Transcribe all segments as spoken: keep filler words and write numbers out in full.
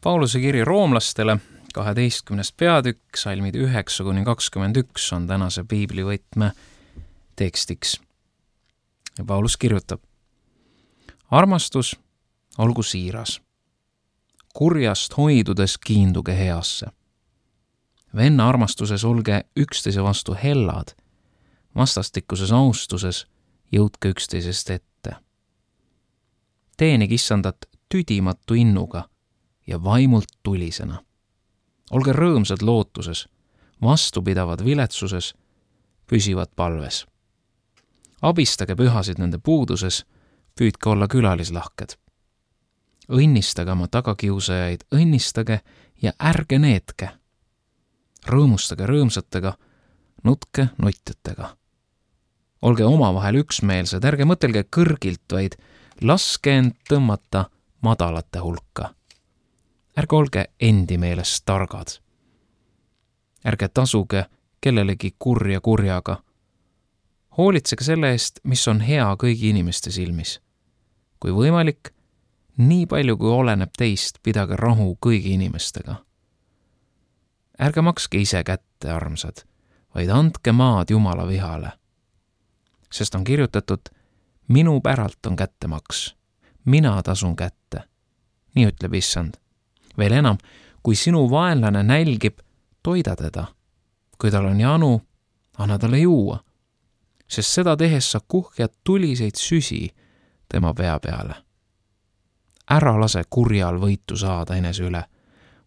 Pauluse kiri roomlastele, kaheteistkümnes peatükk, salmid üheksa kuni kakskümmend üks on tänase piiblivõtme tekstiks. Ja Paulus kirjutab: armastus olgu siiras. Kurjast hoidudes kiinduge heasse. Venna armastuses olge üksteise vastu hellad, vastastikuses austuses jõudke üksteisest ette. Teenig issandat tüdimatu innuga ja vaimult tulisena. Olge rõõmsad lootuses, vastupidavad viletsuses, püsivad palves. Abistage pühasid nende puuduses, püüdke olla külalislahked. Õnnistage oma tagakiusajaid, õnnistage ja ärge neetke. Rõõmustage rõõmsatega, nutke notjatega. Olge omavahel üksmeelsed, ärge mõtelge kõrgilt, vaid laske end tõmmata madalate hulka. Ärge olge endi meelest targad. Ärge tasuge kellelegi kurja kurjaga. Hoolitsege selle eest, mis on hea kõigi inimeste silmis. Kui võimalik, nii palju kui oleneb teist, pidage rahu kõigi inimestega. Ärge makske ise kätte, armsad, vaid andke maad Jumala vihale. Sest on kirjutatud: minu päralt on kättemaks, mina tasun kätte. Nii ütleb issand. Veel enam, kui sinu vaenlane nälgib, toida teda. Kui tal on janu, anna talle juua, sest seda tehes sa kuhjad tuliseid süsi tema pea peale. Ära lase kurjal võitu saada enese üle,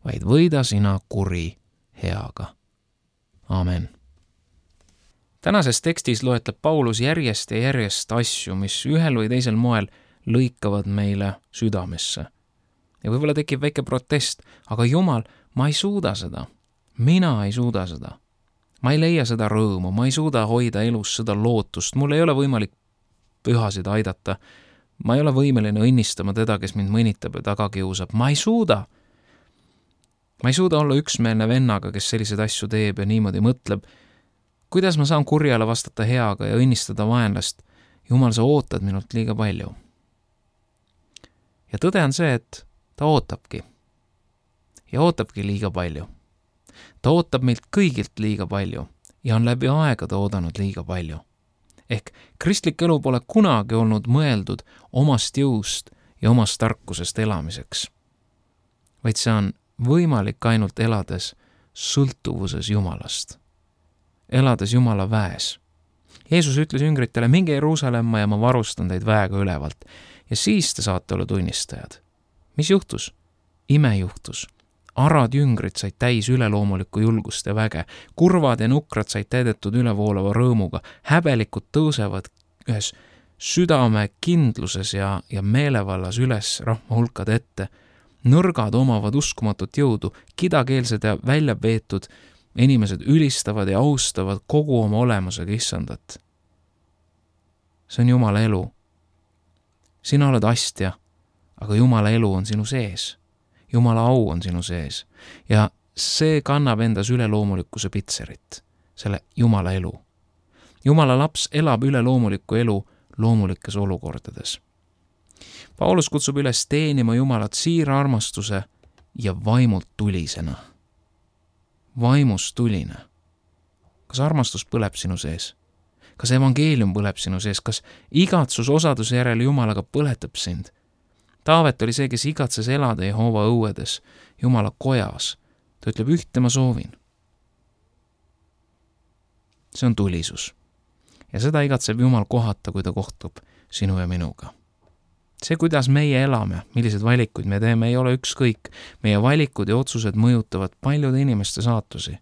vaid võida sina kuri heaga. Amen. Tänases tekstis loetleb Paulus järjest ja järjest asju, mis ühel või teisel moel lõikavad meile südamesse. Ja võib-olla tekib väike protest, aga Jumal, ma ei suuda seda. Mina ei suuda seda. Ma ei leia seda rõõmu, ma ei suuda hoida elus seda lootust, mul ei ole võimalik pühasid aidata. Ma ei ole võimeline õnnistama teda, kes mind mõnitab ja taga kiusab. Ma ei suuda. Ma ei suuda olla üksmeelne vennaga, kes selliseid asju teeb ja niimoodi mõtleb. Kuidas ma saan kurjale vastata heaga ja õnnistada vaenlast? Jumal, sa ootad minult liiga palju. Ja tõde on see, et ta ootabki. Ja ootabki liiga palju. Ta ootab meilt kõigilt liiga palju ja on läbi aegade oodanud liiga palju. Ehk kristlik elu pole kunagi olnud mõeldud omast jõust ja omast tarkusest elamiseks, vaid see on võimalik ainult elades sõltuvuses Jumalast, elades Jumala väes. Jeesus ütles jüngritele: minge Jeruusalemma ja ma varustan teid väega ülevalt ja siis te saate olla tunnistajad. Mis juhtus? Ime juhtus. Arad jüngrid said täis üleloomulikku julgust ja väge, kurvad ja nukrad said täidetud ülevoolava rõõmuga, häbelikud tõusevad ühes südame kindluses ja, ja meelevallas üles rahva hulkade ette, nõrgad omavad uskumatut jõudu, kidakeelsed ja välja peetud inimesed ülistavad ja austavad kogu oma olemusega issandat. See on Jumala elu. Sina oled astja, aga Jumala elu on sinu sees. Jumala au on sinu sees ja see kannab endas üleloomulikkuse pitserit, selle Jumala elu. Jumala laps elab üleloomulikku elu loomulikes olukordades. Paulus kutsub üles teenima Jumalat siira armastuse ja vaimult tulisena. Vaimust tuline. Kas armastus põleb sinu sees? Kas evangeelium põleb sinu sees? Kas igatsus osaduse järele Jumalaga põletab sind? Taavet oli see, kes igatses elada Jehova õuedes, Jumala kojas. Ta ütleb: ühte ma soovin. See on tulisus. Ja seda igatseb Jumal kohata, kui ta kohtub sinu ja minuga. See, kuidas meie elame, millised valikuid me teeme, ei ole ükskõik. Meie valikud ja otsused mõjutavad paljude inimeste saatusi.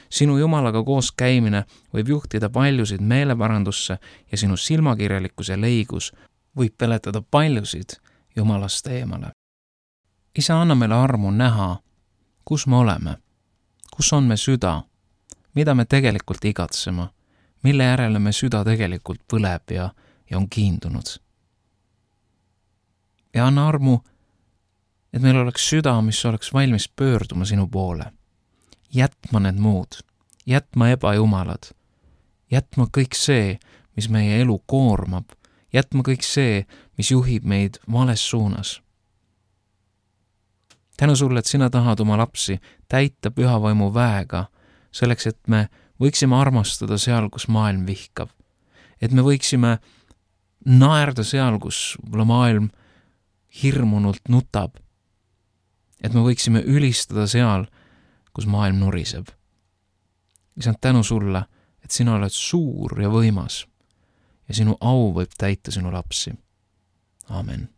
Sinu Jumalaga koos käimine võib juhtida paljusid meeleparandusse ja sinu silmakirjalikkus ja leigus võib peletada paljusid Jumalast eemale. Isa, anna meile armu näha, kus me oleme, kus on me süda, mida me tegelikult igatsema, mille järele me süda tegelikult põleb ja, ja on kiindunud. Ja anna armu, et meil oleks süda, mis oleks valmis pöörduma sinu poole, jätma need muud, jätma ebajumalad, jätma kõik see, mis meie elu koormab, jätma kõik see, mis juhib meid vales suunas. tänu sulle, et sina tahad oma lapsi täita püha vaimu väega, selleks, et me võiksime armastada seal, kus maailm vihkab. Et me võiksime naerda seal, kus võib-olla maailm hirmunult nutab. Et me võiksime ülistada seal, kus maailm nuriseb. Isand, tänu sulle, et sina oled suur ja võimas ja sinu au võib täita sinu lapsi. Amen.